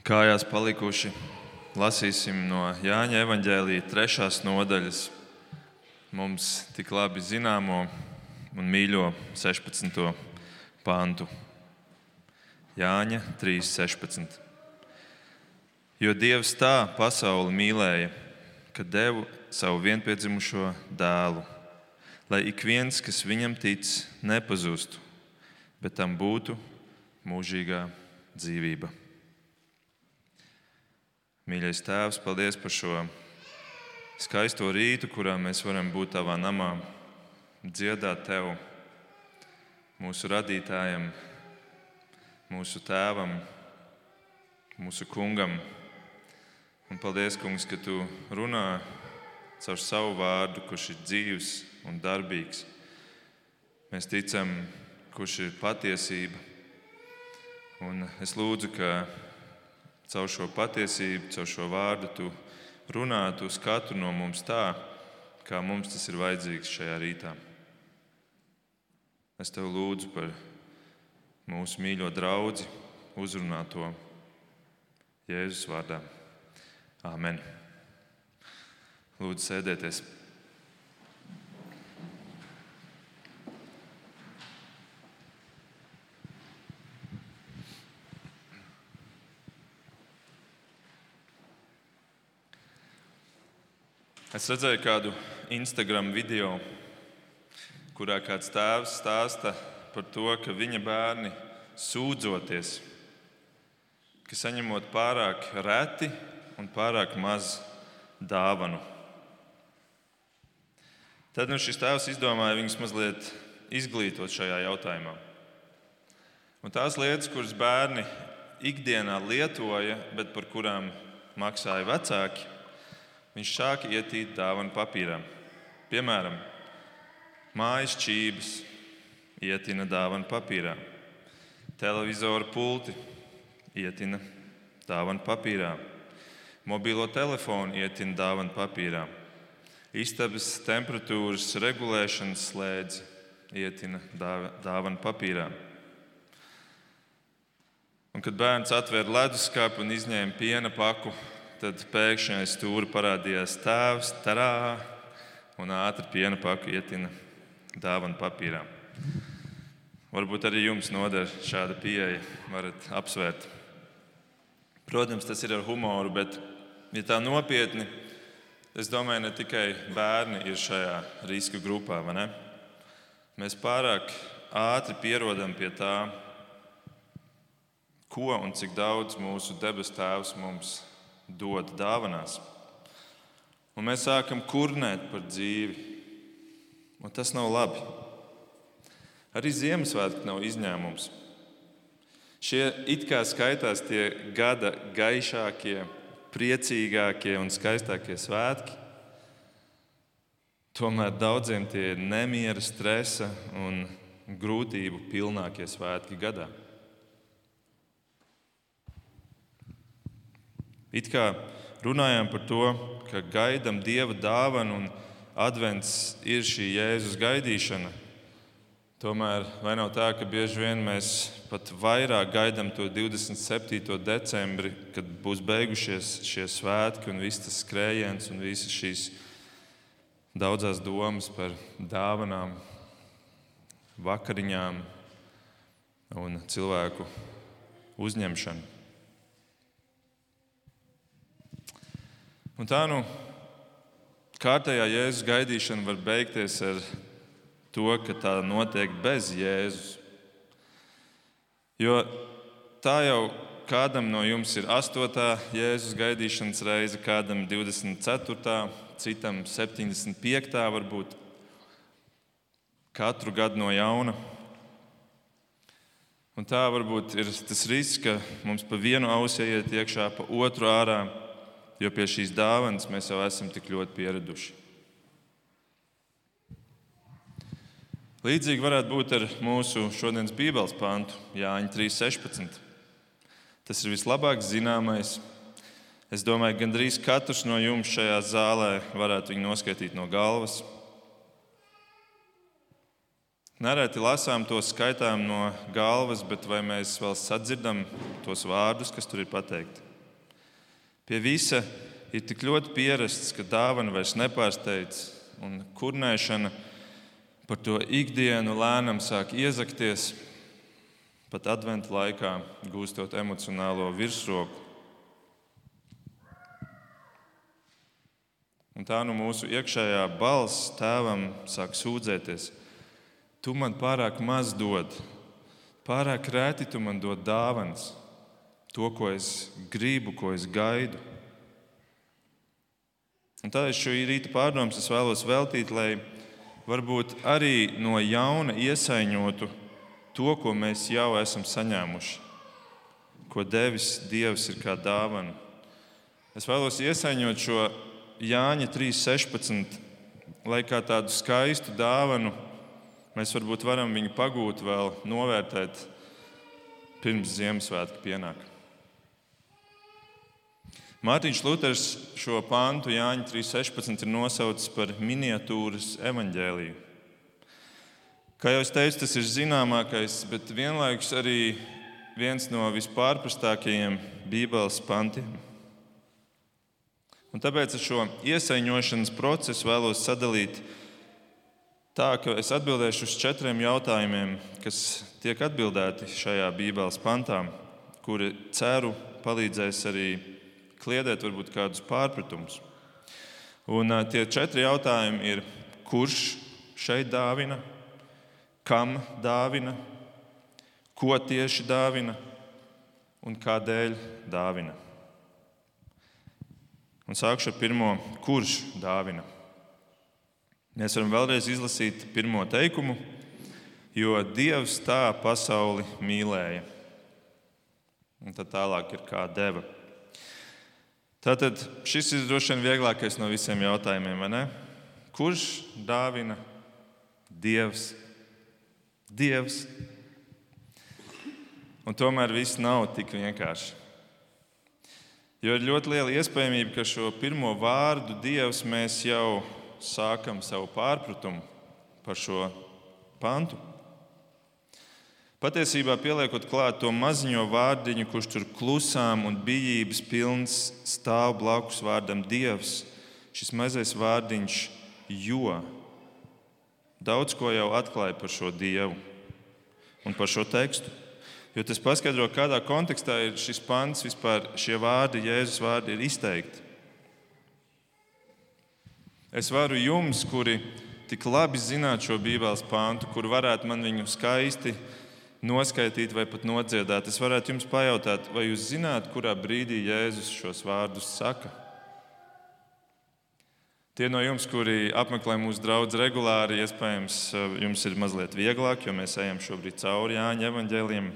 Kājās palikuši lasīsim no Jāņa evaņģēlija 3. nodaļas mums tik labi zināmo un mīļo 16. pantu. Jāņa 3:16. Jo Dievs tā pasauli mīlēja, ka deva savu vienpiedzimušo dēlu, lai ik viens, kas viņam tic, nepazustu, bet tam būtu mūžīgā dzīvība. Mīļais Tēvs, paldies par šo skaisto rītu, kurā mēs varam būt Tavā namā, dziedāt Tev, mūsu radītājam, mūsu Tēvam, mūsu Kungam. Un paldies, Kungs, ka Tu runā caur savu vārdu, kurš ir dzīvs un darbīgs. Mēs ticam, kurš ir patiesība. Un es lūdzu, ka caur šo patiesību, caur šo vārdu Tu runātu uz katru no mums tā, kā mums tas ir vajadzīgs šajā rītā. Es Tev lūdzu par mūsu mīļo draudzi, uzrunā to Jēzus vārdā. Āmen. Lūdzu, sēdieties. Es redzēju kādu Instagram video, kurā kāds tēvs stāsta par to, ka viņa bērni sūdzoties, ka saņemot pārāk reti un pārāk maz dāvanu. Tad šis tēvs izdomāja viņus mazliet izglītot šajā jautājumā. Un tās lietas, kuras bērni ikdienā lietoja, bet par kurām maksāja vecāki, viņš sāka ietīt dāvanu papīrā. Piemēram, mājas čības ietina dāvanu papīrā, televizora pulti ietina dāvanu papīrā, mobilo telefonu ietina dāvanu papīrā, istabas temperatūras regulēšanas slēdzi ietina dāvanu papīrā. Un, kad bērns atvēra leduskapi un izņēma piena paku, tad pēkšņi aiz stūra parādījās tēvs, tarā, un ātri piena paku ietina dāvanu papīrā. Varbūt arī jums noder šāda pieeja, varat apsvērt. Protams, tas ir ar humoru, bet, ja tā nopietni, es domāju, ne tikai bērni ir šajā riska grupā, vai ne? Mēs pārāk ātri pierodam pie tā, ko un cik daudz mūsu debes Tēvs mums dod dāvanās. Un mēs sākam kurnēt par dzīvi. Un tas nav labi. Arī Ziemassvētki nav izņēmums. Šie it kā skaitās tie gada gaišākie, priecīgākie un skaistākie svētki. Tomēr daudziem tie ir nemiera, stresa un grūtību pilnākie svētki gadā. It kā runājām par to, ka gaidām Dieva dāvanu un advents ir šī Jēzus gaidīšana. Tomēr vai nav tā, ka bieži vien mēs pat vairāk gaidām to 27. decembri, kad būs beigušies šie svētki un viss tas skrējiens un visas šīs daudzās domas par dāvanām, vakariņām un cilvēku uzņemšanu. Un tā kārtējā Jēzus gaidīšana var beigties ar to, ka tā notiek bez Jēzus. Jo tā jau kādam no jums ir 8. Jēzus gaidīšanas reize, kādam 24., citam 75. varbūt. Katru gadu no jauna. Un tā varbūt ir tas risks, ka mums pa vienu ausi iet iekšā, pa otru ārā, jo pie šīs dāvanas mēs jau esam tik ļoti pieraduši. Līdzīgi varētu būt ar mūsu šodienas Bībeles pantu, Jāņa 3:16. Tas ir vislabāk zināmais. Es domāju, gandrīz katrs no jums šajā zālē varētu viņu noskaitīt no galvas. Nereti lasām to, skaitām no galvas, bet vai mēs vēl sadzirdam tos vārdus, kas tur ir pateikti? Pie visa ir tik ļoti pierasts, ka dāvana vairs nepārsteidz, un kurnēšana par to ikdienu lēnām sāk iezakties, pat adventa laikā gūstot emocionālo virsroku. Un tā mūsu iekšējā balss Tēvam sāk sūdzēties. Tu man pārāk maz dod, pārāk rēti tu man dod dāvanas, to, ko es gribu, ko es gaidu. Un tādēļ šo rīta pārdomas es vēlos veltīt, lai varbūt arī no jauna iesaiņotu to, ko mēs jau esam saņēmuši, ko devis Dievs ir kā dāvana. Es vēlos iesaiņot šo Jāņa 3.16, lai kā tādu skaistu dāvanu mēs varbūt varam viņu pagūt vēl novērtēt pirms Ziemassvētku pienāk. Mārtiņš Luters šo pantu Jāņa 3.16 ir nosaucis par miniatūras evaņģēliju. Kā jau es teicu, tas ir zināmākais, bet vienlaikus arī viens no vispārprastākajiem Bībeles pantiem. Un tāpēc es šo iesaiņošanas procesu vēlos sadalīt tā, ka es atbildēšu uz 4 jautājumiem, kas tiek atbildēti šajā Bībeles pantā, kuri, ceru, palīdzēs arī kliedēt varbūt kādus pārpratumus. Un tie 4 jautājumi ir, kurš šeit dāvina, kam dāvina, ko tieši dāvina un kādēļ dāvina. Un sākšu ar pirmo, kurš dāvina. Mēs varam vēlreiz izlasīt pirmo teikumu, jo Dievs tā pasauli mīlēja. Un tad tālāk ir kā deva. Tātad šis ir droši vien vieglākais no visiem jautājumiem, vai ne? Kurš dāvina? Dievs. Dievs. Un tomēr viss nav tik vienkārši. Jo ir ļoti liela iespējamība, ka šo pirmo vārdu Dievs mēs jau sākam savu pārpratumu par šo pantu. Patiesībā pieliekot klāt to maziņo vārdiņu, kurš tur klusām un bijības pilns stāv blakus vārdam Dievs, šis mazais vārdiņš jo daudz ko jau atklāja par šo Dievu un par šo tekstu. Jo tas paskaidro, kādā kontekstā ir šis pants, vispār šie vārdi, Jēzus vārdi ir izteikti. Es varu jums, kuri tik labi zināt šo Bībeles pantu, kur varētu man viņu skaisti noskaitīt vai pat nodziedāt, es varētu jums pajautāt, vai jūs zināt, kurā brīdī Jēzus šos vārdus saka? Tie no jums, kuri apmeklē mūsu draugu regulāri, iespējams, jums ir mazliet vieglāk, jo mēs ejam šobrīd cauri Jāņa evaņģēlijam.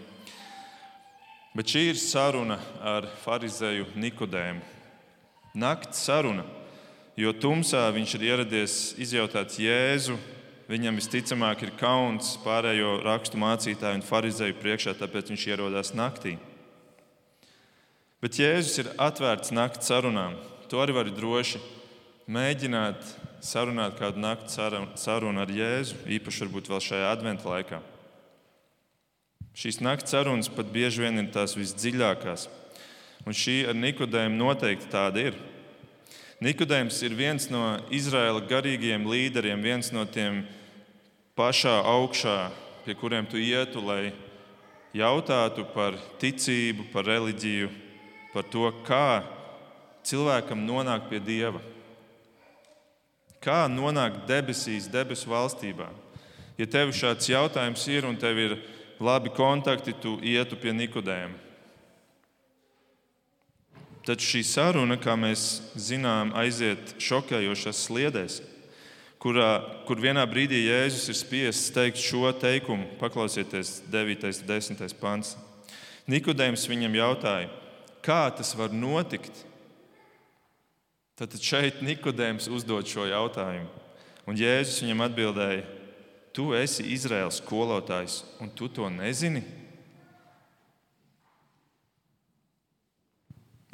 Bet šī ir saruna ar farizeju Nikodēmu. Nakts saruna, jo tumsā viņš ir ieradies izjautāt Jēzu. Viņam visticamāk ir kauns pārējo rakstu mācītāju un farizeju priekšā, tāpēc viņš ierodās naktī. Bet Jēzus ir atvērts nakts sarunām. To arī var droši mēģināt sarunāt kādu nakts sarunu ar Jēzu, īpaši varbūt vēl šajā adventa laikā. Šīs nakts sarunas pat bieži vien ir tās visdziļākās. Un šī ar Nikodēmu noteikti tāda ir. Nikodēms ir viens no Izraēla garīgajiem līderiem, viens no tiem pašā augšā, pie kuriem tu ietu, lai jautātu par ticību, par reliģiju, par to, kā cilvēkam nonākt pie Dieva. Kā nonākt debesīs, debesu valstībā? Ja tev šāds jautājums ir un tev ir labi kontakti, tu ietu pie Nikodēma. Taču šī saruna, kā mēs zinām, aiziet šokējošās sliedēs, kur vienā brīdī Jēzus ir spiests teikt šo teikumu. Paklausieties 9. un 10. pants. Nikodēms viņam jautāja, kā tas var notikt? Tad šeit Nikodēms uzdod šo jautājumu. Un Jēzus viņam atbildēja, tu esi Izraēlas skolotājs, un tu to nezini?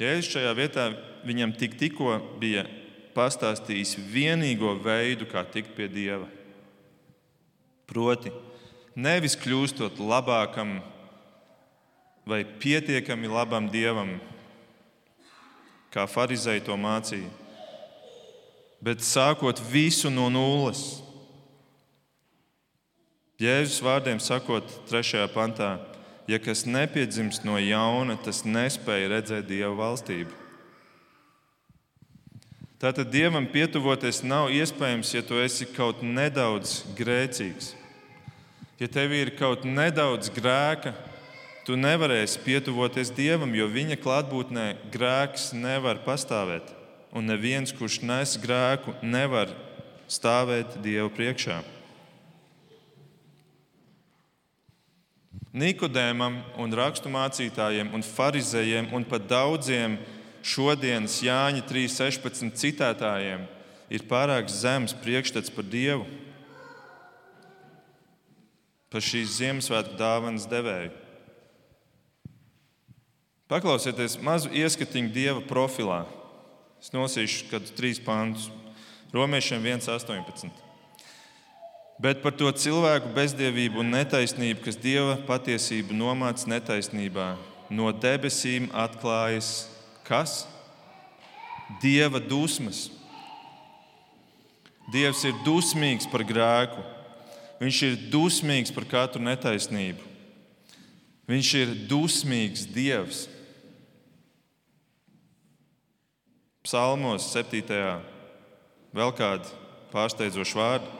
Jēzus šajā vietā viņam tikko bija pastāstījis vienīgo veidu, kā tikt pie Dieva. Proti, nevis kļūstot labākam vai pietiekami labam Dievam, kā farizēji to mācīja, bet sākot visu no nulles. Jēzus vārdiem sakot 3. pantā, ja kas nepiedzimst no jauna, tas nespēja redzēt Dieva valstību. Tātad Dievam pietuvoties nav iespējams, ja tu esi kaut nedaudz grēcīgs. Ja tev ir kaut nedaudz grēka, tu nevarēsi pietuvoties Dievam, jo viņa klātbūtnē grēks nevar pastāvēt. Un neviens, kurš nes grēku, nevar stāvēt Dieva priekšā. Nikodēmam un raksturmācītājiem un farizējiem un pat daudziem šodienas Jāņa 3.16 citētājiem ir pārāk zems priekšstats par Dievu, par šīs Ziemassvētku dāvanas devēju. Paklausieties mazu ieskatiņu Dieva profilā. Es nosīšu kādu 3 pantus. Romiešiem 1.18. Bet par to cilvēku bezdievību un netaisnību, kas Dieva patiesību nomāc netaisnībā, no debesīm atklājas kas? Dieva dusmas. Dievs ir dusmīgs par grēku. Viņš ir dusmīgs par katru netaisnību. Viņš ir dusmīgs Dievs. Psalmos 7. vēl kādi pārsteidzoši vārdi.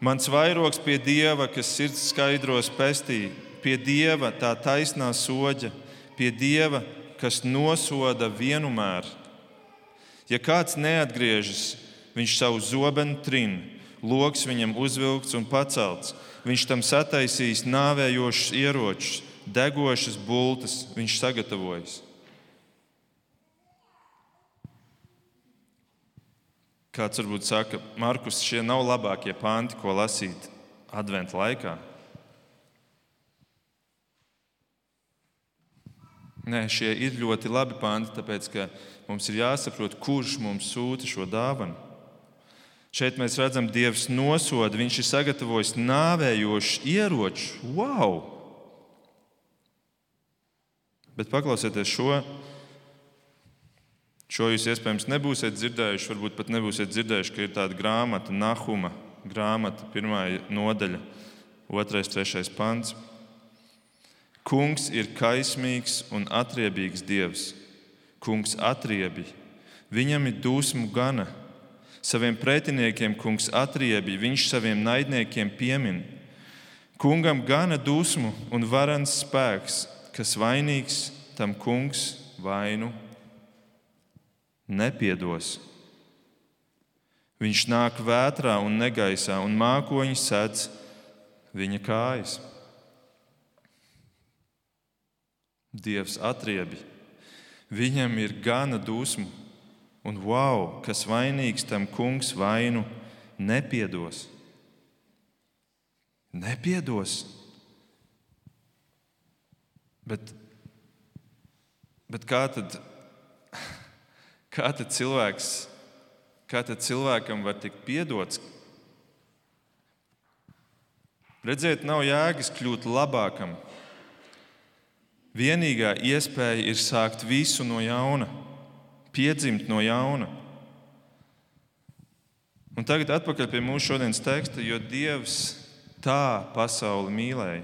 Mans vairogs pie Dieva, kas sirds skaidros pestī, pie Dieva tā taisnā soģa, pie Dieva, kas nosoda vienmēr. Ja kāds neatgriežas, viņš savu zobenu trin, loks viņam uzvilkts un pacelts, viņš tam sataisīs nāvējošus ieročus, degošas bultas viņš sagatavojas. Kāds varbūt saka, Markus, šie nav labākie panti, ko lasīt adventa laikā. Nē, šie ir ļoti labi panti, tāpēc, ka mums ir jāsaprot, kurš mums sūta šo dāvanu. Šeit mēs redzam, Dievs nosoda, viņš ir sagatavojis nāvējošus ieročus. Wow! Bet paklausieties šo jūs iespējams nebūsiet dzirdējuši, varbūt pat nebūsiet dzirdējuši, ka ir tāda grāmata, Nahuma grāmata, 1. nodaļa, 2. 3. pants. Kungs ir kaismīgs un atriebīgs Dievs. Kungs atriebi, viņam ir dusmu gana. Saviem pretiniekiem kungs atriebi, viņš saviem naidniekiem piemin. Kungam gana dusmu un varens spēks, kas vainīgs, tam kungs vainu nepiedos. Viņš nāk vētrā un negaisā, un mākoņi sedz viņa kājas. Dievs atriebi, viņam ir gana dusmu, un wow, kas vainīgs, tam kungs vainu nepiedos. Nepiedos. Bet kā tad cilvēkam var tikt piedots? Redziet, nav jēgas kļūt labākam. Vienīgā iespēja ir sākt visu no jauna, piedzimt no jauna. Un tagad atpakaļ pie mūsu šodienas teksta, jo Dievs tā pasauli mīlēja.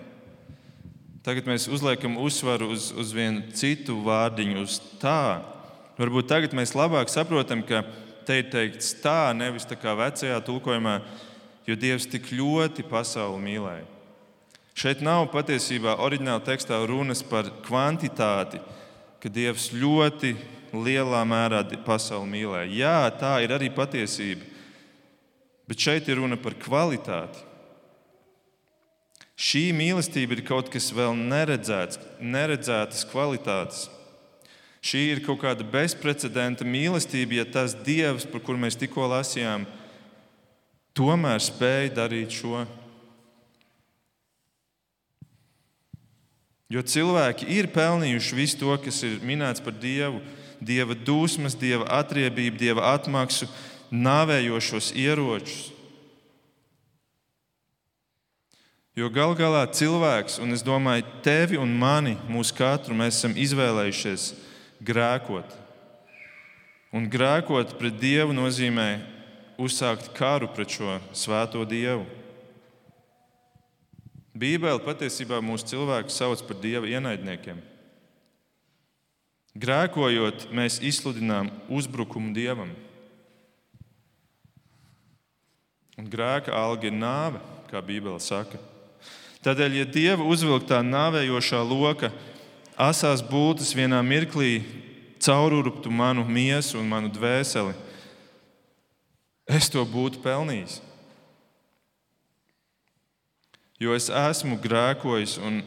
Tagad mēs uzliekam uzsvaru uz vienu citu vārdiņu, uz tā. Varbūt tagad mēs labāk saprotam, ka te ir teikts tā, nevis tā kā vecajā tulkojumā, jo Dievs tik ļoti pasauli mīlēja. Šeit nav patiesībā oriģināla tekstā runas par kvantitāti, ka Dievs ļoti lielā mērā pasauli mīlēja. Jā, tā ir arī patiesība, bet šeit ir runa par kvalitāti. Šī mīlestība ir kaut kas vēl neredzētas kvalitātes. Šī ir kaut kāda bezprecedenta mīlestība, ja tas Dievs, par kuru mēs tikko lasījām, tomēr spēja darīt šo. Jo cilvēki ir pelnījuši visu to, kas ir minēts par Dievu, Dieva dusmas, Dieva atriebību, Dieva atmaksu, nāvējošos ieročus. Jo gal galā cilvēks, un es domāju, tevi un mani, mūs katru, mēs esam izvēlējušies grēkot. Un grēkot pret Dievu nozīmē uzsākt karu pret šo svēto Dievu. Bībele patiesībā mūsu cilvēkus sauc par Dieva ienaidniekiem. Grēkojot, mēs izsludinām uzbrukumu Dievam. Un grēka alga ir nāve, kā Bībele saka. Tādēļ, ja Dieva uzvilktā nāvējošā loka asās būtnes vienā mirklī caururuptu manu miesu un manu dvēseli, es to būtu pelnījis. Jo es esmu grēkojis un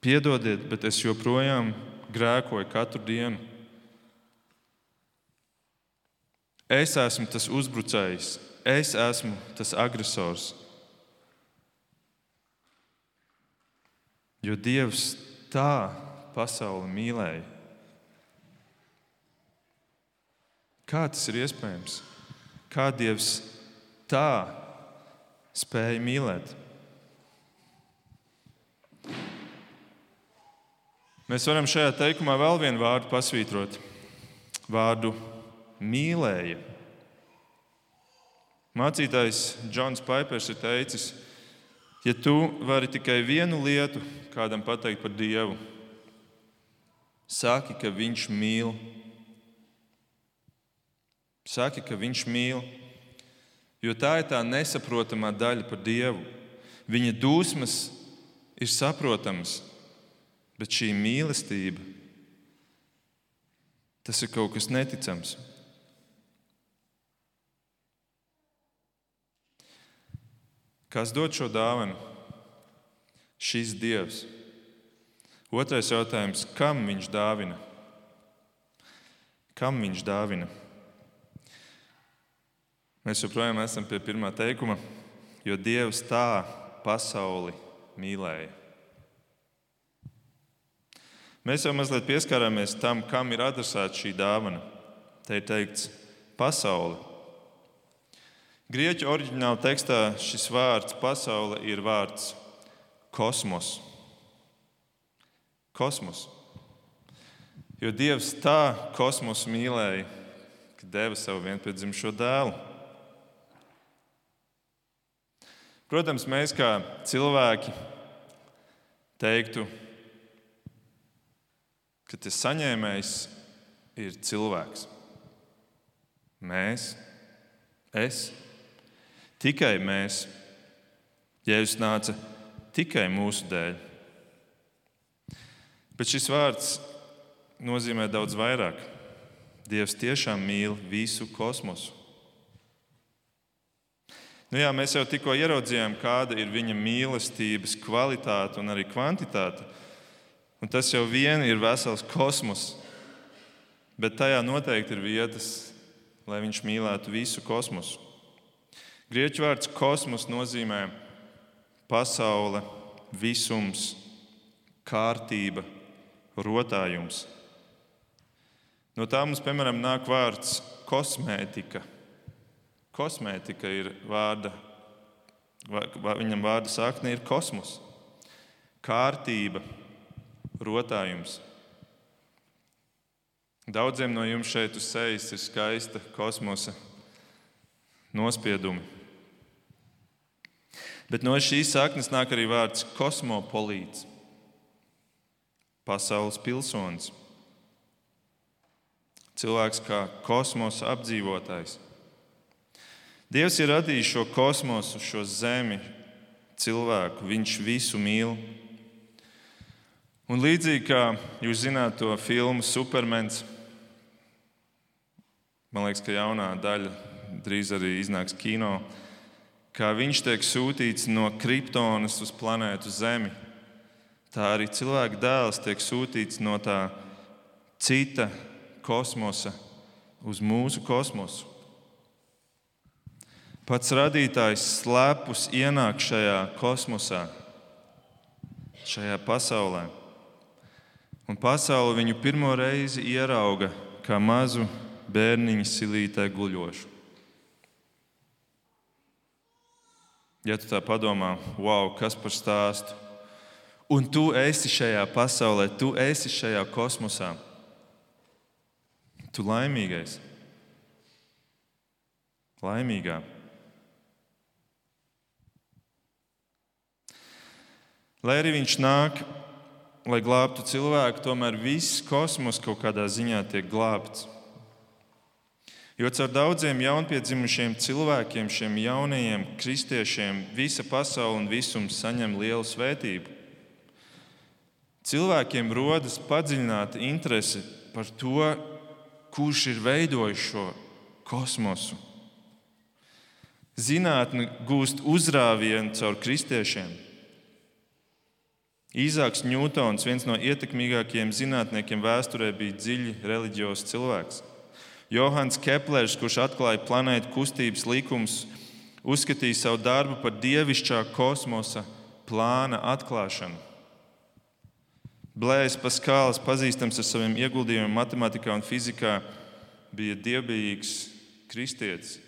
piedodiet, bet es joprojām grēkoju katru dienu. Es esmu tas uzbrucējs, es esmu tas agresors. Jo Dievs tā pasauli mīlēja. Kā tas ir iespējams? Kā Dievs tā spēja mīlēt? Mēs varam šajā teikumā vēl vienu vārdu pasvītrot. Vārdu mīlēja. Mācītājs Džons Paipers ir teicis, ja tu vari tikai vienu lietu kādam pateikt par Dievu, saki, ka viņš mīl. Saki, ka viņš mīl, jo tā ir tā nesaprotamā daļa par Dievu. Viņa dusmas ir saprotamas, bet šī mīlestība, tas ir kaut kas neticams. Kas dod šo dāvanu? Šis Dievs. Otrais jautājums, kam viņš dāvina? Kam viņš dāvina? Mēs joprojām esam pie pirmā teikuma, jo Dievs tā pasauli mīlēja. Mēs jau mazliet pieskārāmies tam, kam ir adresēta šī dāvana. Te ir teikts pasaule. Grieķu oriģināla tekstā šis vārds pasaule ir vārds kosmos. Kosmos. Jo Dievs tā kosmosu mīlēja, ka deva savu vienpiedzimušo dēlu. Protams, mēs kā cilvēki teiktu, ka tas saņēmējs ir cilvēks. Mēs, es, tikai mēs. Jēzus nāca tikai mūsu dēļ. Bet šis vārds nozīmē daudz vairāk. Dievs tiešām mīl visu kosmosu. Mēs jau tikko ieraudzījām, kāda ir viņa mīlestības kvalitāte un arī kvantitāte. Un tas jau vien ir vesels kosmos. Bet tajā noteikti ir vietas, lai viņš mīlētu visu kosmosu. Grieķu vārds kosmos nozīmē pasaule, visums, kārtība, rotājums. No tā mums, piemēram, nāk vārds kosmētika. Kosmētika ir viņam vārda sakne ir kosmos. Kārtība, rotājums. Daudziem no jums šeit uz sejas ir skaista kosmosa nospiedumi. Bet no šīs saknes nāk arī vārds kosmopolīts. Pasaules pilsonis. Cilvēks kā kosmosa apdzīvotājs. Dievs ir radījis šo kosmosu, šo zemi, cilvēku. Viņš visu mīl. Un līdzīgi kā jūs zināt to filmu Supermens, man liekas, ka jaunā daļa drīz arī iznāks kino, kā viņš tiek sūtīts no Kriptonas uz planētu Zemi, tā arī cilvēka dēls tiek sūtīts no tā cita kosmosa uz mūsu kosmosu. Pats radītājs slepus ienāk šajā kosmosā, šajā pasaulē. Un pasaule viņu pirmo reizi ierauga kā mazu bērniņu silītē guļošu. Ja tu tā padomā, wow, kas par stāstu. Un tu esi šajā pasaulē, tu esi šajā kosmosā. Tu laimīgais, laimīgā. Lai arī viņš nāk, lai glābtu cilvēku, tomēr viss kosmos kaut kādā ziņā tiek glābts. Jo caur daudziem jaunpiedzimušiem cilvēkiem, šiem jaunajiem kristiešiem, visa pasaule un visums saņem lielu svētību. Cilvēkiem rodas padziļināta interese par to, kurš ir veidojis šo kosmosu. Zinātne gūst uzrāvienu caur kristiešiem. Īzāks Ņūtons, viens no ietekmīgākajiem zinātniekiem vēsturē, bija dziļi reliģiozs cilvēks. Johans Keplers, kurš atklāja planētu kustības likumus, uzskatīja savu darbu par dievišķā kosmosa plāna atklāšanu. Blaise Paskāls, pazīstams ar saviem ieguldījumiem matemātikā un fizikā, bija dievbijīgs kristietis.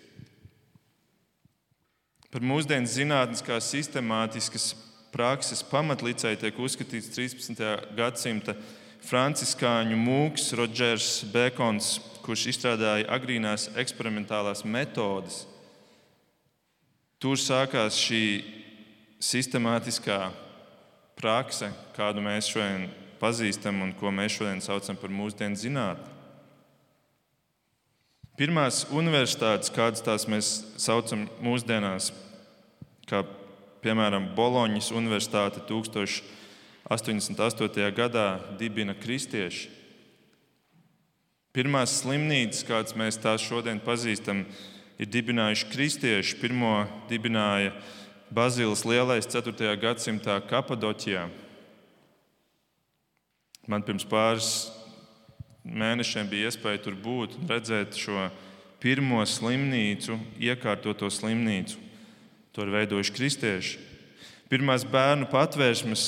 Par mūsdienu zinātniskās sistemātiskas prakses pamatlicēju tiek uzskatīts 13. gadsimta franciskāņu mūks Rodžers Bekons, kurš izstrādāja agrīnās eksperimentālās metodes. Tur sākās šī sistemātiskā prakse, kādu mēs šodien pazīstam un ko mēs šodien saucam par mūsdienu zinātni. Pirmās universitātes, kādas tās mēs saucam mūsdienās, kā piemēram Boloņas universitāte 1088. gadā dibina kristieši. Pirmās slimnīcas, kādas mēs tās šodien pazīstam, ir dibinājuši kristieši. Pirmo dibināja Bazils Lielais 4. gadsimtā Kapadoķijā. Man pirms pāris mēnešiem bija iespēja tur būt un redzēt šo pirmo slimnīcu, iekārtoto slimnīcu. To ir veidojuši kristieši. Pirmās bērnu patvērsmes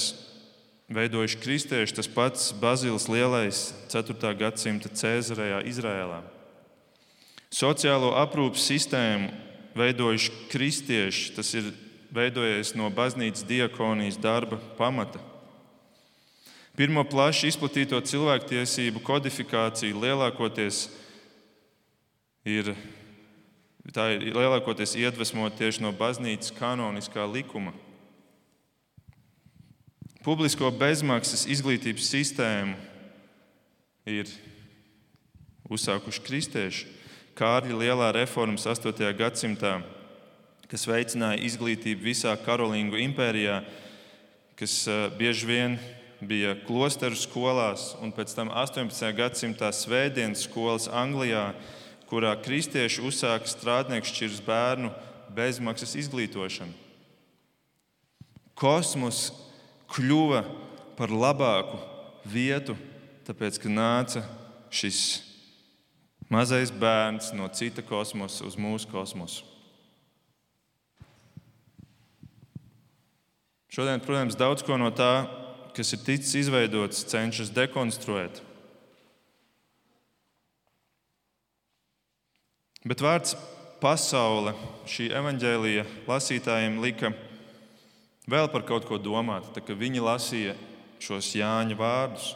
veidojuši kristieši, tas pats Bazils Lielais 4. gadsimta Cēzarejā, Izrēlā. Sociālo aprūpes sistēmu veidojuši kristieši, tas ir veidojies no baznīcas diakonijas darba pamata. Pirmo plaši izplatīto cilvēktiesību kodifikāciju lielākoties iedvesmot tieši no baznīcas kanoniskā likuma. Publisko bezmaksas izglītības sistēmu ir uzsākuši kristieši. Kārļa lielā reformas 8. gadsimtā, kas veicināja izglītību visā Karolingu impērijā, kas bieži vien bija klosteru skolās, un pēc tam 18. gadsimtā svētdienas skolas Anglijā, kurā kristieši uzsāka strādniekšķiras bērnu bezmaksas izglītošanu. Kosmos kļuva par labāku vietu, tāpēc, ka nāca šis mazais bērns no cita kosmosa uz mūsu kosmosu. Šodien, protams, daudz ko no tā, kas ir ticis izveidots, cenšas dekonstruēt. Bet vārds pasaule šī evaņģēlija lasītājiem lika vēl par kaut ko domāt, tā kā viņi lasīja šos Jāņa vārdus.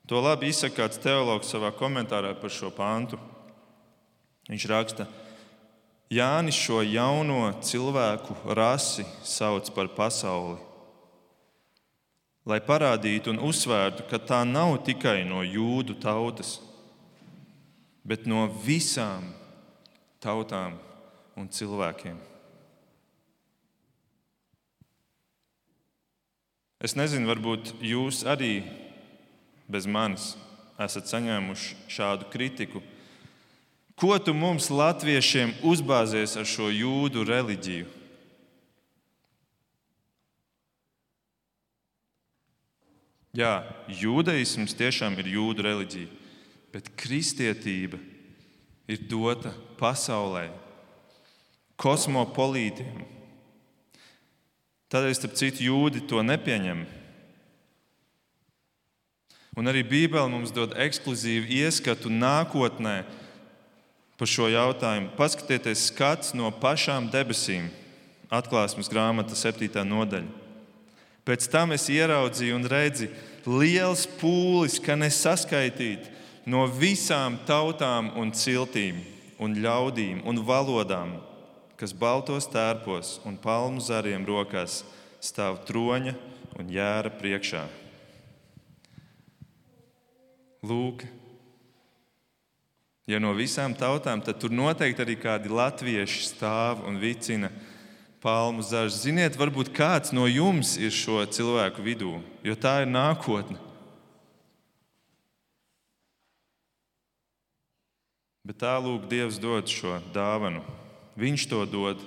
To labi izsaka kāds teologs savā komentārā par šo pantu. Viņš raksta: Jānis šo jauno cilvēku rasi sauc par pasauli, lai parādītu un uzsvērtu, ka tā nav tikai no jūdu tautas, bet no visām tautām un cilvēkiem. Es nezinu, varbūt jūs arī bez manis esat saņēmuši šādu kritiku. Ko tu mums, latviešiem, uzbāzies ar šo jūdu reliģiju? Jā, jūdaisms tiešām ir jūdu reliģija, bet kristietība ir dota pasaulē, kosmopolītiem. Tādēļ, starp citu, jūdi to nepieņem. Un arī Bībele mums dod ekskluzīvu ieskatu nākotnē par šo jautājumu. Paskatieties, skats no pašām debesīm. Atklāsmes grāmata 7. nodaļa. Pēc tam es ieraudzīju un redzu liels pūlis, ka nesaskaitīt, no visām tautām un ciltīm un ļaudīm un valodām, kas baltos tērpos un palmu zariem rokās stāv troņa un jēra priekšā. Lūk, ja no visām tautām, tad tur noteikti arī kādi latvieši stāv un vicina palmu zarus. Ziniet, varbūt kāds no jums ir šo cilvēku vidū, jo tā ir nākotne. Bet tā lūk, Dievs dod šo dāvanu. Viņš to dod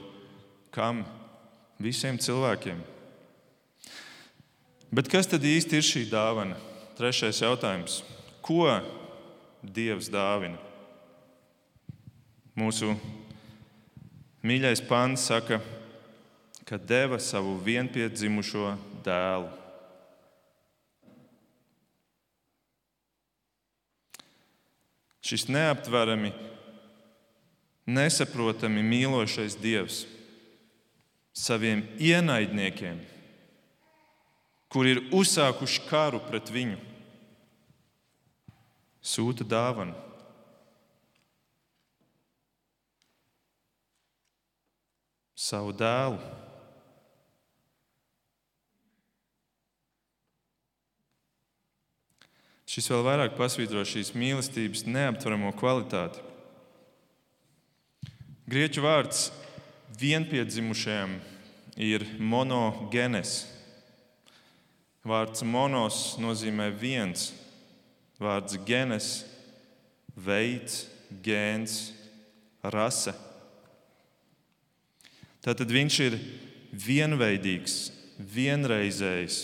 kam? Visiem cilvēkiem. Bet kas tad īsti ir šī dāvana? 3. jautājums. Ko Dievs dāvina? Mūsu mīļais pants saka, ka deva savu vienpiedzimušo dēlu. Šis neaptverami, nesaprotami mīlošais Dievs saviem ienaidniekiem, kuri ir uzsākuši karu pret viņu, sūta dāvanu. Savu dēlu. Šis vēl vairāk pasvītro šīs mīlestības neaptveramo kvalitāti. Grieķu vārds vienpiedzimušajam ir monogenes. Vārds monos nozīmē viens. Vārds genes – veids, gēns, rase. Tātad viņš ir vienveidīgs, vienreizējs,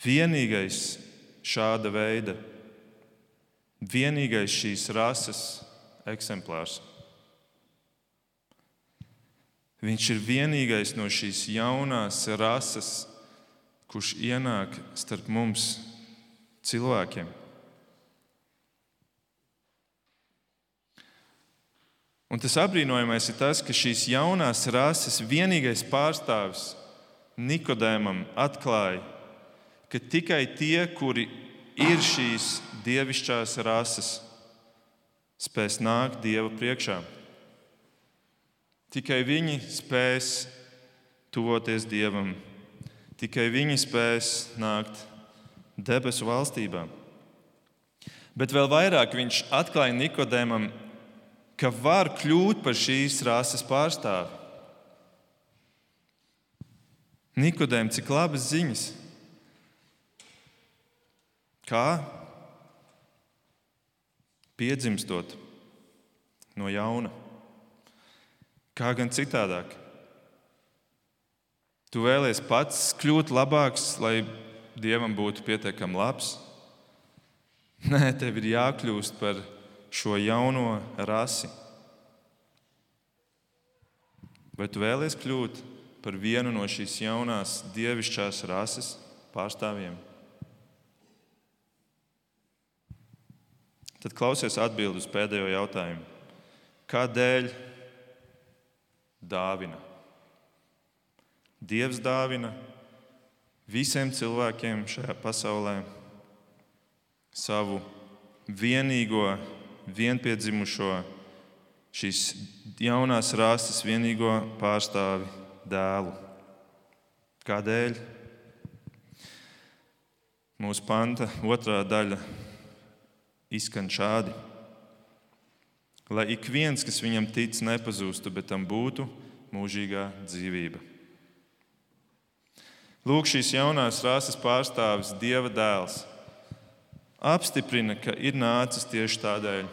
vienīgais šāda veida, vienīgais šīs rases eksemplārs. Viņš ir vienīgais no šīs jaunās rases, kurš ienāk starp mums cilvēkiem. Un tas apbrīnojamais ir tas, ka šīs jaunās rases vienīgais pārstāvis Nikodēmam atklāja, ka tikai tie, kuri ir šīs dievišķās rases, spēs nākt Dieva priekšā. Tikai viņi spēs tuvoties Dievam. Tikai viņi spēs nākt debesu valstībā. Bet vēl vairāk viņš atklāja Nikodēmam, ka var kļūt par šīs rases pārstāvi. Nikodēm, cik labas ziņas! Kā? Piedzimstot no jauna. Kā gan citādāk? Tu vēlies pats kļūt labāks, lai Dievam būtu pietiekami labs? Nē, tev ir jākļūst par šo jauno rasi. Vai tu vēlies kļūt par vienu no šīs jaunās dievišķās rases pārstāvjiem? Tad klausies atbildi uz pēdējo jautājumu. Kādēļ dāvina? Dievs dāvina visiem cilvēkiem šajā pasaulē savu vienīgo, vienpiedzimušo, šīs jaunās rases vienīgo pārstāvi dēlu. Kādēļ? Mūsu panta 2. daļa izskan šādi. Lai ik viens, kas viņam tic, nepazūstu, bet tam būtu mūžīgā dzīvība. Lūk, šīs jaunās rases pārstāvis, Dieva dēls, apstiprina, ka ir nācis tieši tādēļ,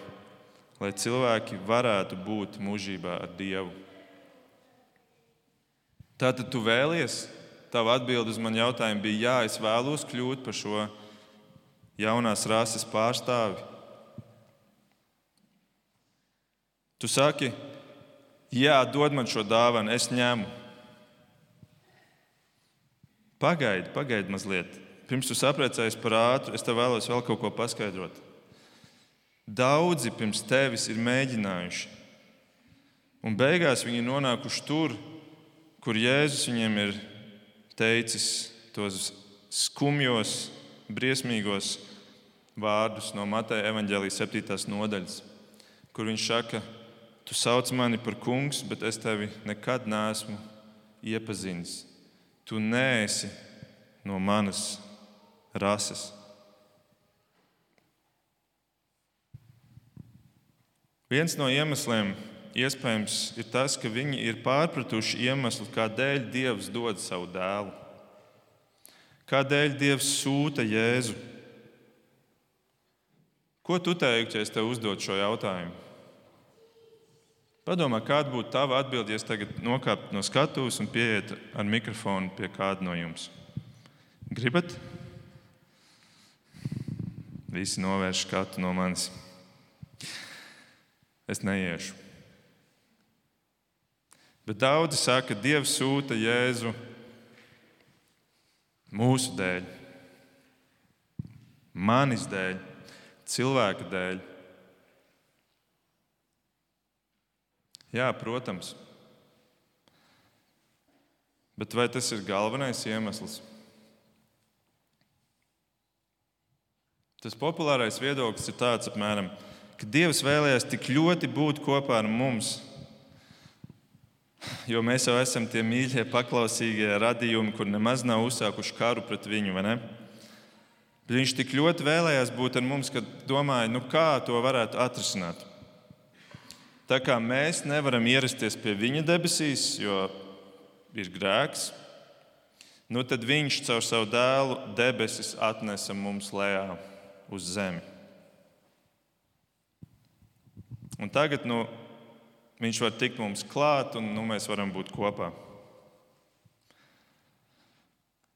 lai cilvēki varētu būt mūžībā ar Dievu. Tātad tu vēlies? Tava atbilde uz manu jautājumu bija jā, es vēlos kļūt par šo jaunās rases pārstāvi. Tu saki, jā, dod man šo dāvanu, es ņemu. Pagaidi mazliet. Pirms tu sapriecājies par ātru, es tev vēlos vēl kaut ko paskaidrot. Daudzi pirms tevis ir mēģinājuši. Un beigās viņi ir nonākuši tur, kur Jēzus viņiem ir teicis tos skumjos, briesmīgos vārdus no Mateja evaņģēlija 7. nodaļas, kur viņš saka: Tu sauc mani par kungs, bet es tevi nekad neesmu iepazinis. Tu neesi no manas rases. Viens no iemesliem iespējams ir tas, ka viņi ir pārpratuši iemeslu, kādēļ Dievs dod savu dēlu. Kādēļ Dievs sūta Jēzu? Ko tu teiktu, ja es tev uzdotu šo jautājumu? Padomā, kāda būtu tava atbilde, ja es tagad nokāptu no skatuves un pieietu ar mikrofonu pie kāda no jums? Gribat? Visi novērš skatu no manis. Es neiešu. Bet daudzi saka, ka Dievs sūta Jēzu mūsu dēļ, manis dēļ, cilvēka dēļ. Jā, protams. Bet vai tas ir galvenais iemesls? Tas populārais viedoklis ir tāds apmēram, ka Dievs vēlējās tik ļoti būt kopā ar mums, jo mēs jau esam tie mīļie, paklausīgie radījumi, kur nemaz nav uzsākuši karu pret viņu, vai ne? Bet viņš tik ļoti vēlējās būt ar mums, ka domāja, kā to varētu atrisināt. Tā kā mēs nevaram ierasties pie viņa debesīs, jo ir grēks, tad viņš caur savu dēlu debesis atnesa mums lejā uz zemi. Un tagad viņš var tikt mums klāt, un mēs varam būt kopā.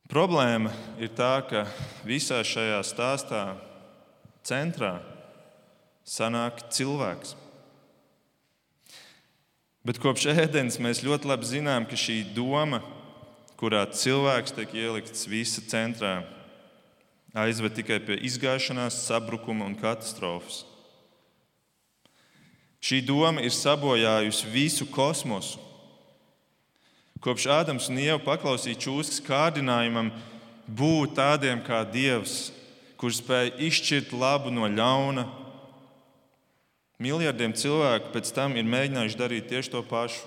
Problēma ir tā, ka visā šajā stāstā centrā sanāk cilvēks. Bet kopš ēdenes mēs ļoti labi zinām, ka šī doma, kurā cilvēks tiek ielikts visa centrā, aizved tikai pie izgāšanās, sabrukuma un katastrofas. Šī doma ir sabojājusi visu kosmosu. Kopš Ādams un Ieva paklausīja čūskas kārdinājumam būt tādiem kā Dievs, kurš spēja izšķirt labu no ļauna, miljardiem cilvēku pēc tam ir mēģinājuši darīt tieši to pašu.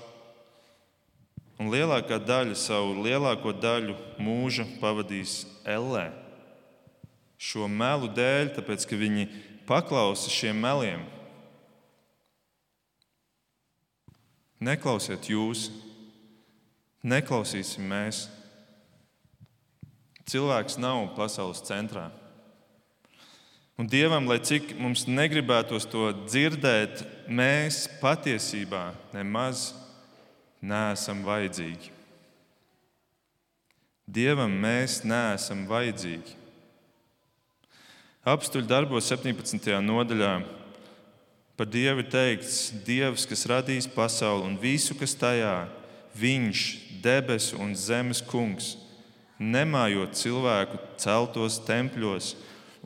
Un lielākā daļa savu lielāko daļu mūža pavadīs ellē. Šo melu dēļ, tāpēc, ka viņi paklausa šiem meliem. Neklausiet jūs, neklausīsim mēs. Cilvēks nav pasaules centrā. Un Dievam, lai cik mums negribētos to dzirdēt, mēs patiesībā nemaz neesam vajadzīgi. Dievam mēs neesam vajadzīgi. Apstuļu darbos 17. nodaļā par Dievu ir teikts: Dievs, kas radījis pasauli un visu, kas tajā, Viņš, debesu un zemes kungs, nemājot cilvēku celtos tempļos,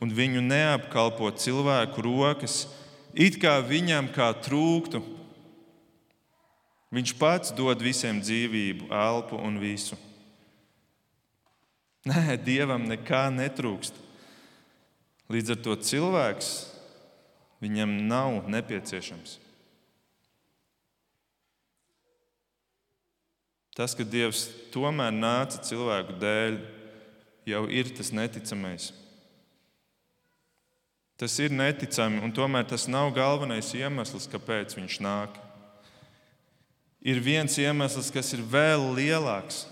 un viņu neapkalpo cilvēku rokas, it kā viņam kā trūktu. Viņš pats dod visiem dzīvību, elpu un visu. Nē, Dievam nekā netrūkst. Līdz ar to cilvēks viņam nav nepieciešams. Tas, ka Dievs tomēr nāca cilvēku dēļ, jau ir tas neticamais. Tas ir neticami, un tomēr tas nav galvenais iemesls, kāpēc viņš nāk. Ir viens iemesls, kas ir vēl lielāks.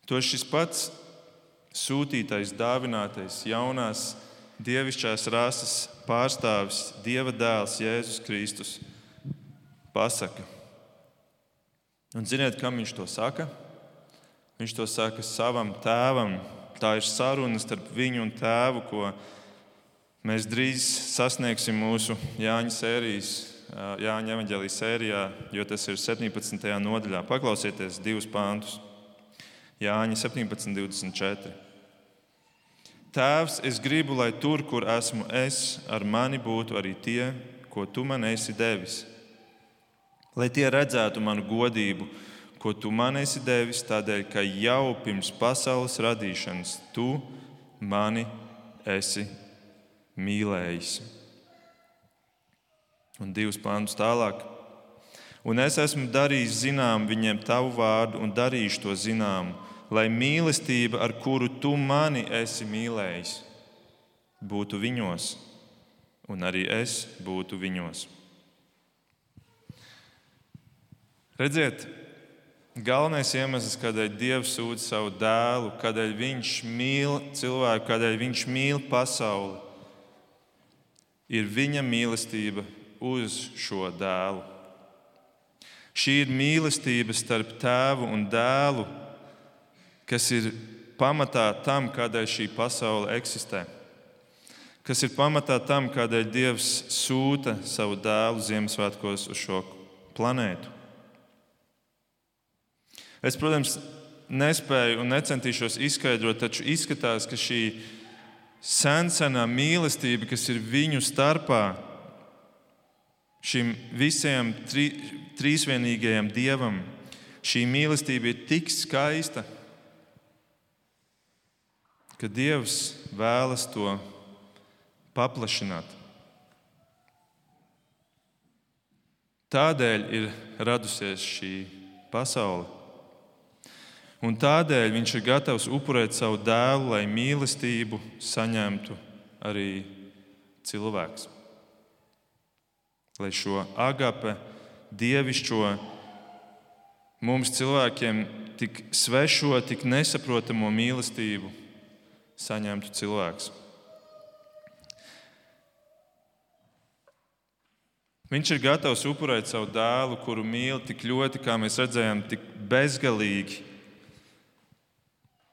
To šis pats sūtītais, dāvinātais, jaunās dievišķās rases pārstāvis, Dieva dēls Jēzus Kristus, pasaka. Un ziniet, kam viņš to saka? Viņš to saka savam tēvam. Tā ir saruna starp viņu un tēvu, ko mēs drīz sasniegsim mūsu Jāņa evaņģēlija sērijā, jo tas ir 17. nodaļā. Paklausieties 2 pāntus. Jāņa 17:24. Tēvs, es gribu, lai tur, kur esmu es, ar mani būtu arī tie, ko tu man esi devis. Lai tie redzētu manu godību, ko tu man esi devis, tādēļ, ka jau pirms pasaules radīšanas tu mani esi mīlējis. Un 2 pantus tālāk. Un es esmu darījis zinām viņiem tavu vārdu un darīšu to zinām, lai mīlestība, ar kuru tu mani esi mīlējis, būtu viņos, un arī es būtu viņos. Redziet, galvenais iemesls, kādēļ Dievs sūta savu dēlu, kādēļ viņš mīl cilvēku, kādēļ viņš mīl pasauli, ir viņa mīlestība uz šo dēlu. Šī ir mīlestība starp tēvu un dēlu, kas ir pamatā tam, kādēļ šī pasaule eksistē. Kas ir pamatā tam, kādēļ Dievs sūta savu dēlu Ziemassvētkos uz šo planētu. Es, protams, nespēju un necentīšos izskaidrot, taču izskatās, ka šī sensenā mīlestība, kas ir viņu starpā, šim visiem trīsvienīgajam Dievam, šī mīlestība ir tik skaista, ka Dievs vēlas to paplašināt. Tādēļ ir radusies šī pasaule. Un tādēļ viņš ir gatavs upurēt savu dēlu, lai mīlestību saņemtu arī cilvēks. Lai šo agape, dievišķo, mums cilvēkiem tik svešo, tik nesaprotamo mīlestību saņemtu cilvēks. Viņš ir gatavs upurēt savu dēlu, kuru mīl tik ļoti, kā mēs redzējām, tik bezgalīgi.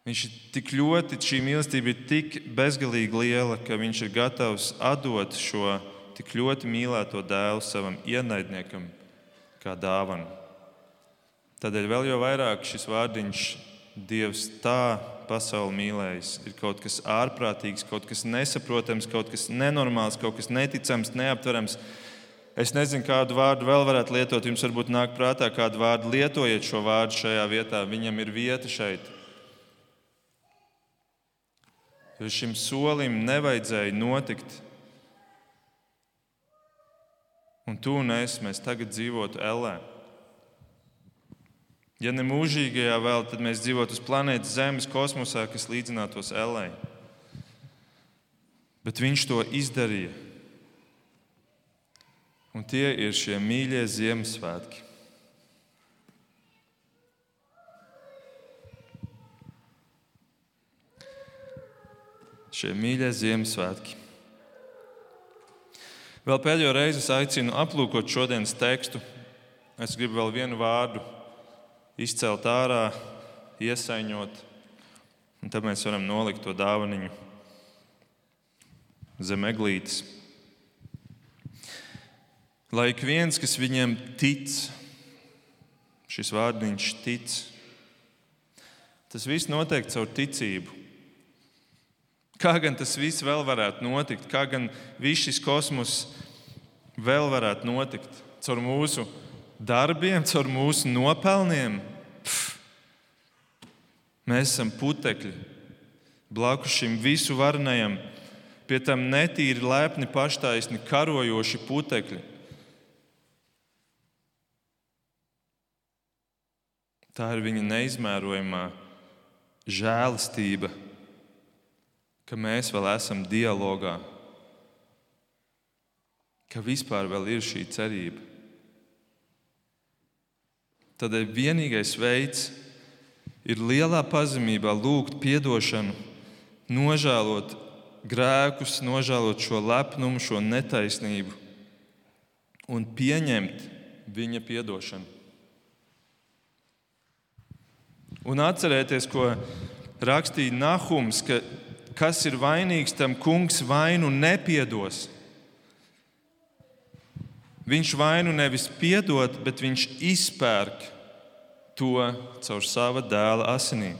Viņš ir tik ļoti, šī mīlestība ir tik bezgalīgi liela, ka viņš ir gatavs atdot šo tik ļoti mīlēto dēlu savam ienaidniekam kā dāvanu. Tādēļ vēl jau vairāk šis vārdiņš Dievs tā pasauli mīlējis ir kaut kas ārprātīgs, kaut kas nesaprotams, kaut kas nenormāls, kaut kas neticams, neaptverams. Es nezinu, kādu vārdu vēl varētu lietot. Jums varbūt nāk prātā kādu vārdu. Lietojiet šo vārdu šajā vietā. Viņam ir vieta šeit. Jo šim solim nevajadzēja notikt. Un tu un es, mēs tagad dzīvotu ellē. Ja ne mūžīgajā vēl, tad mēs dzīvotu uz planētas Zemes kosmosā, kas līdzinātos ellē. Bet viņš to izdarīja. Un tie ir šie mīļie Ziemassvētki. Šie mīļie Ziemassvētki. Vēl pēdējo reizi es aicinu aplūkot šodienas tekstu. Es gribu vēl vienu vārdu izcelt ārā, iesaiņot, un tad mēs varam nolikt to dāvaniņu zem eglītes. Lai ik viens, kas viņam tic, šis vārdiņš tic, tas viss notiek caur ticību. Kā gan tas viss vēl varētu notikt? Kā gan viss šis kosmos vēl varētu notikt? Caur mūsu darbiem, caur mūsu nopelniem? Mēs esam putekļi blakus šim visu varenajam, pie tam netīri, lepni, paštaisni, karojoši putekļi. Tā ir viņa neizmērojamā žēlastība, ka mēs vēl esam dialogā, ka vispār vēl ir šī cerība. Tādēļ vienīgais veids ir lielā pazemībā lūgt piedošanu, nožēlot grēkus, nožēlot šo lepnumu, šo netaisnību un pieņemt viņa piedošanu. Un atcerēties, ko rakstīja Nahums, ka kas ir vainīgs, tam kungs vainu nepiedos. Viņš vainu nevis piedod, bet viņš izpērk to caur sava dēla asinīm.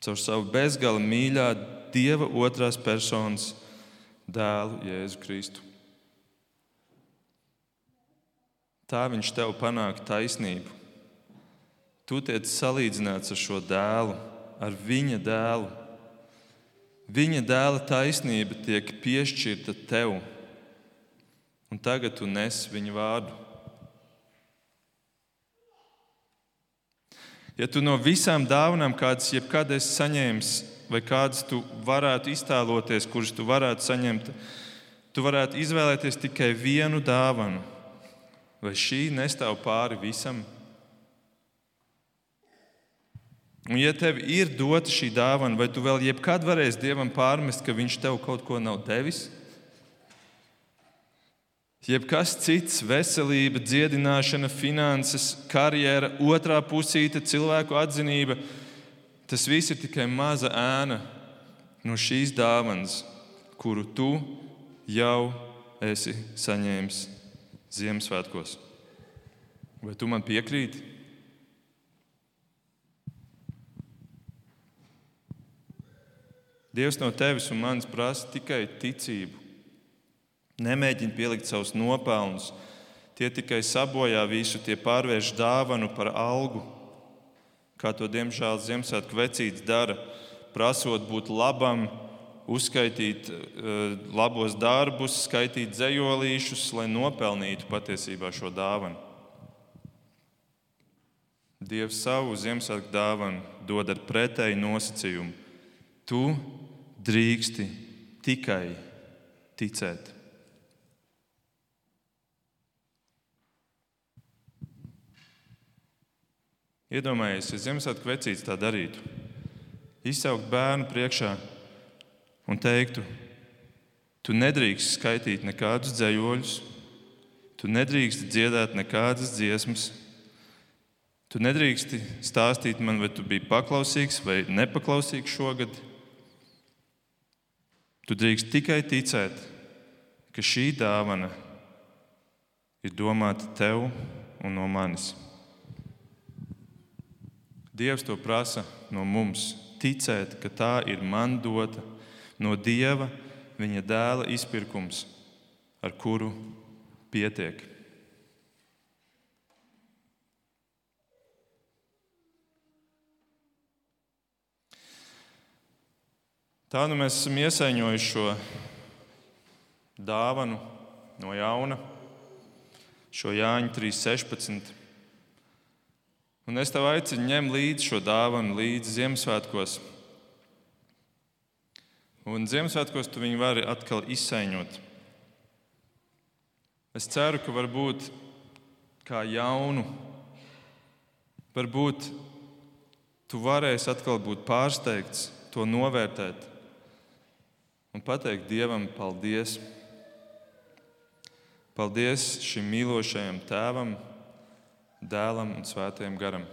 Caur savu bezgala mīļā Dieva otrās personas dēlu Jēzu Kristu. Tā viņš tev panāk taisnību. tu tiec salīdzināts ar šo dēlu, ar viņa dēlu. Viņa dēla taisnība tiek piešķirta tev, un tagad tu nes viņa vārdu. Ja tu no visām dāvanām, kādas jebkad esi saņēmis, vai kādas tu varētu iztēloties, kuras tu varētu saņemt, tu varētu izvēlēties tikai vienu dāvanu, vai šī nestāv pāri visam? Un ja tev ir dota šī dāvana, vai tu vēl jebkad varēsi Dievam pārmest, ka viņš tev kaut ko nav devis? Jebkas cits, veselība, dziedināšana, finanses, karjera, otrā pusīte, cilvēku atzinība, tas viss ir tikai maza ēna no šīs dāvanas, kuru tu jau esi saņēmis Ziemassvētkos. Vai tu man piekrīti? Dievs no tevis un manis prasa tikai ticību. Nemēģini pielikt savus nopelnus. Tie tikai sabojā visu, tie pārvērš dāvanu par algu, kā to, diemžēl, Ziemassvētku vecītis dara, prasot būt labam, uzskaitīt labos darbus, skaitīt dzejolīšus, lai nopelnītu patiesībā šo dāvanu. Dievs savu Ziemassvētku dāvanu dod ar pretēju nosacījumu. Tu drīksti tikai ticēt. Iedomājies, ja Ziemassvētku vecītis tā darītu, izsaukt bērnu priekšā un teiktu, tu nedrīkst skaitīt nekādus dzejoļus, tu nedrīkst dziedāt nekādas dziesmas, tu nedrīksti stāstīt man, vai tu biji paklausīgs vai nepaklausīgs šogad. Tu drīkst tikai ticēt, ka šī dāvana ir domāta tev un no manis. Dievs to prasa no mums, ticēt, ka tā ir man dota no Dieva, viņa dēla izpirkums, ar kuru pietiek. Tā nu mēs esam iesaiņojuši šo dāvanu no jauna, šo Jāņa 3.16. Un es tev aicinu ņemt līdzi šo dāvanu līdzi Ziemassvētkos. Un Ziemassvētkos tu viņu vari atkal izsaiņot. Es ceru, ka varbūt kā jaunu, varbūt tu varēsi atkal būt pārsteigts, to novērtēt un pateikt Dievam paldies. Paldies šim mīlošajam Tēvam, Dēlam un Svētajam Garam.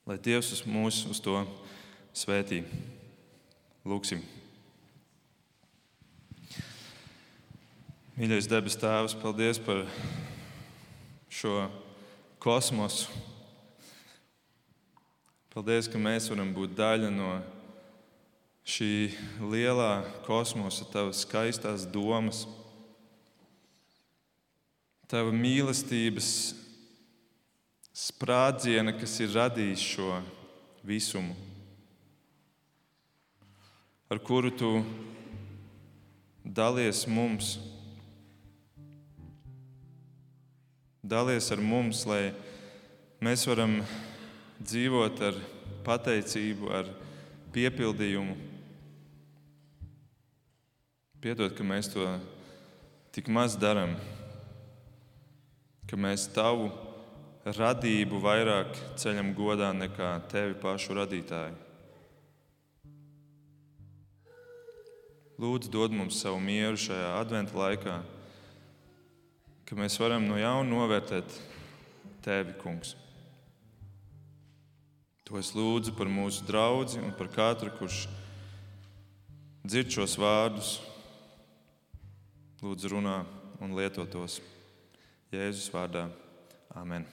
Lai Dievs mūs uz to svētī. Lūksim. Mīļais debes Tēvs, paldies par šo kosmosu. Paldies, ka mēs varam būt daļa no šī lielā kosmosa, tavas skaistās domas, tava mīlestības sprādziena, kas ir radījis šo visumu, ar kuru tu dalies mums. Dalies ar mums, lai mēs varam dzīvot ar pateicību, ar piepildījumu. Piedod, ka mēs to tik maz darām, ka mēs tavu radību vairāk ceļam godā nekā tevi pašu radītāju. Lūdzu, dod mums savu mieru šajā adventa laikā, ka mēs varam no jauna novērtēt tevi, kungs. To es lūdzu par mūsu draudzi un par katru, kurš dzird šos vārdus, lūdzu runā un lieto tos. Jēzus vārdā. Āmen.